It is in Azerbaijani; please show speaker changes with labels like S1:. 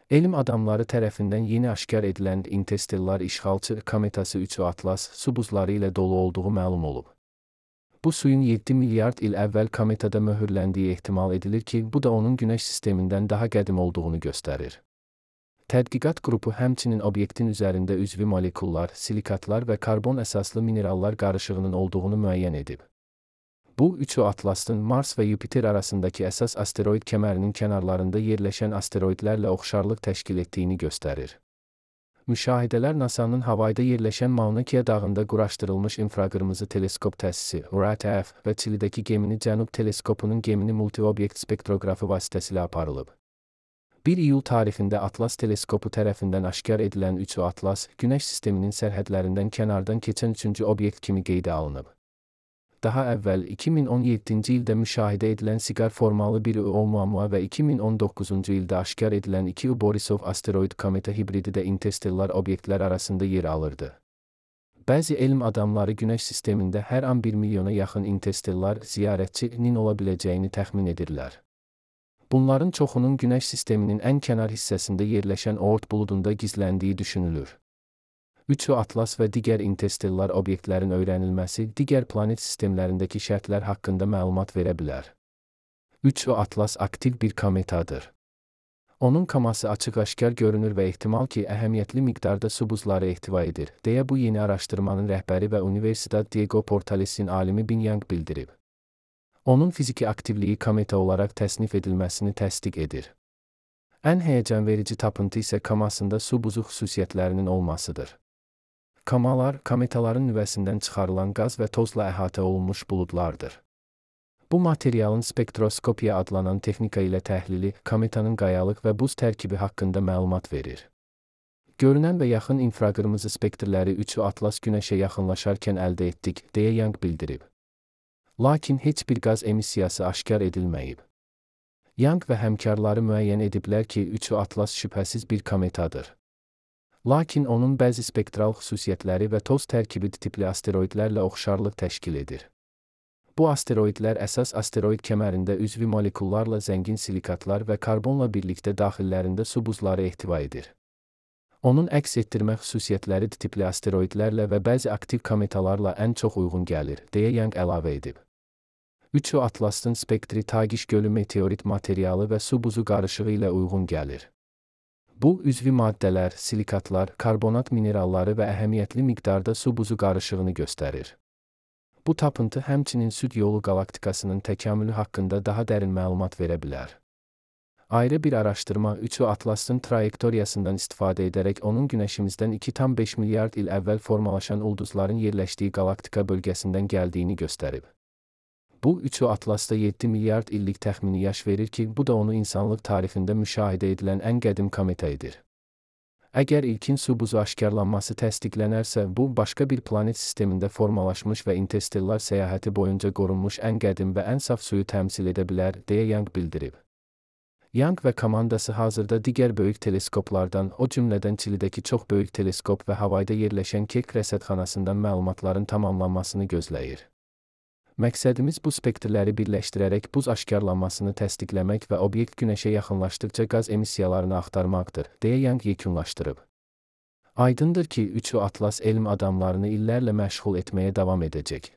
S1: Elm adamları tərəfindən yeni aşkar edilən interstellar işğalçı kometası 3 Atlas su buzları ilə dolu olduğu məlum olub. Bu suyun 7 milyard il əvvəl kometada möhürləndiyi ehtimal edilir ki, bu da onun Günəş sistemindən daha qədim olduğunu göstərir. Tədqiqat qrupu həmçinin obyektin üzərində üzvi molekullar, silikatlar və karbon əsaslı minerallar qarışığının olduğunu müəyyən edib. Bu, 3 Atlasın Mars və Yupiter arasındakı əsas asteroid kəmərinin kənarlarında yerləşən asteroidlərlə oxşarlıq təşkil etdiyini göstərir. Müşahidələr NASA'nın Havayda yerləşən Mauna Kea dağında quraşdırılmış infraqırmızı teleskop təsisi (RATF) və Çilidəki Gemini Cənub teleskopunun Gemini multi-obyekt spektroqrafı vasitəsilə aparılıb. 1 iyul tarixində Atlas teleskopu tərəfindən aşkar edilən 3 Atlas, Günəş sisteminin sərhədlərindən kənardan keçən 3-cü obyekt kimi qeydə alınıb. Daha əvvəl 2017-ci ildə müşahidə edilən siqar formalı bir Oumuamua və 2019-cu ildə aşkar edilən 2 Borisov asteroid kometa hibridi də interstellar obyektlər arasında yer alırdı. Bəzi elm adamları Günəş sistemində hər an 1 milyona yaxın interstellar ziyarətçinin ola biləcəyini təxmin edirlər. Bunların çoxunun Günəş sisteminin ən kənar hissəsində yerləşən Oort buludunda gizləndiyi düşünülür. 3 Atlas və digər interstellar obyektlərin öyrənilməsi digər planet sistemlərindəki şərtlər haqqında məlumat verə bilər. 3 Atlas aktiv bir kometadır. Onun kaması açıq-aşkar görünür və ehtimal ki, əhəmiyyətli miqdarda su buzları ehtiva edir, deyə bu yeni araşdırmanın rəhbəri və Universidad Diego Portales'in alimi Bin Yang bildirib. Onun fiziki aktivliyi kometa olaraq təsnif edilməsini təsdiq edir. Ən həyəcanverici tapıntı isə kamasında su buzu xüsusiyyətlərinin olmasıdır. Kamalar, kometaların nüvəsindən çıxarılan qaz və tozla əhatə olunmuş buludlardır. Bu materialın spektroskopiya adlanan texnika ilə təhlili, kometanın qayalıq və buz tərkibi haqqında məlumat verir. Görünən və yaxın infraqırmızı spektrləri 3 Atlas Günəşə yaxınlaşarkən əldə etdik, deyə Yang bildirib. Lakin heç bir qaz emissiyası aşkar edilməyib. Yang və həmkarları müəyyən ediblər ki, 3 Atlas şübhəsiz bir kometadır. Lakin onun bəzi spektral xüsusiyyətləri və toz tərkibi tipli asteroidlərlə oxşarlıq təşkil edir. Bu asteroidlər əsas asteroid kəmərində üzvi molekullarla zəngin silikatlar və karbonla birlikdə daxillərində su buzları ehtiva edir. Onun əks etdirmə xüsusiyyətləri tipli asteroidlərlə və bəzi aktiv kometalarla ən çox uyğun gəlir, deyə Yang əlavə edib. 3 Atlasın spektri Tagiş gölü meteorit materialı və su buzu qarışığı ilə uyğun gəlir. Bu, üzvi maddələr, silikatlar, karbonat mineralları və əhəmiyyətli miqdarda su buzu qarışığını göstərir. Bu tapıntı həmçinin Süd yolu qalaktikasının təkamülü haqqında daha dərin məlumat verə bilər. Ayrı bir araşdırma 3 Atlasın trayektoriyasından istifadə edərək onun Günəşimizdən 2,5 milyard il əvvəl formalaşan ulduzların yerləşdiyi qalaktika bölgəsindən gəldiyini göstərib. Bu, 3 Atlasda 7 milyard illik təxmini yaş verir ki, bu da onu insanlıq tarixində müşahidə edilən ən qədim kometa edir. Əgər ilkin su buzu aşkarlanması təsdiqlənərsə, bu, başqa bir planet sistemində formalaşmış və interstellar səyahəti boyunca qorunmuş ən qədim və ən saf suyu təmsil edə bilər, deyə Yang bildirib. Yang və komandası hazırda digər böyük teleskoplardan, o cümlədən Çilidəki çox böyük teleskop və Havayda yerləşən Keck rəsədxanasından məlumatların tamamlanmasını gözləyir. Məqsədimiz bu spektrləri birləşdirərək buz aşkarlanmasını təsdiqləmək və obyekt Günəşə yaxınlaşdıqca qaz emissiyalarını axtarmaqdır, deyə Yang yekunlaşdırıb. Aydındır ki, 3 Atlas elm adamlarını illərlə məşğul etməyə davam edəcək.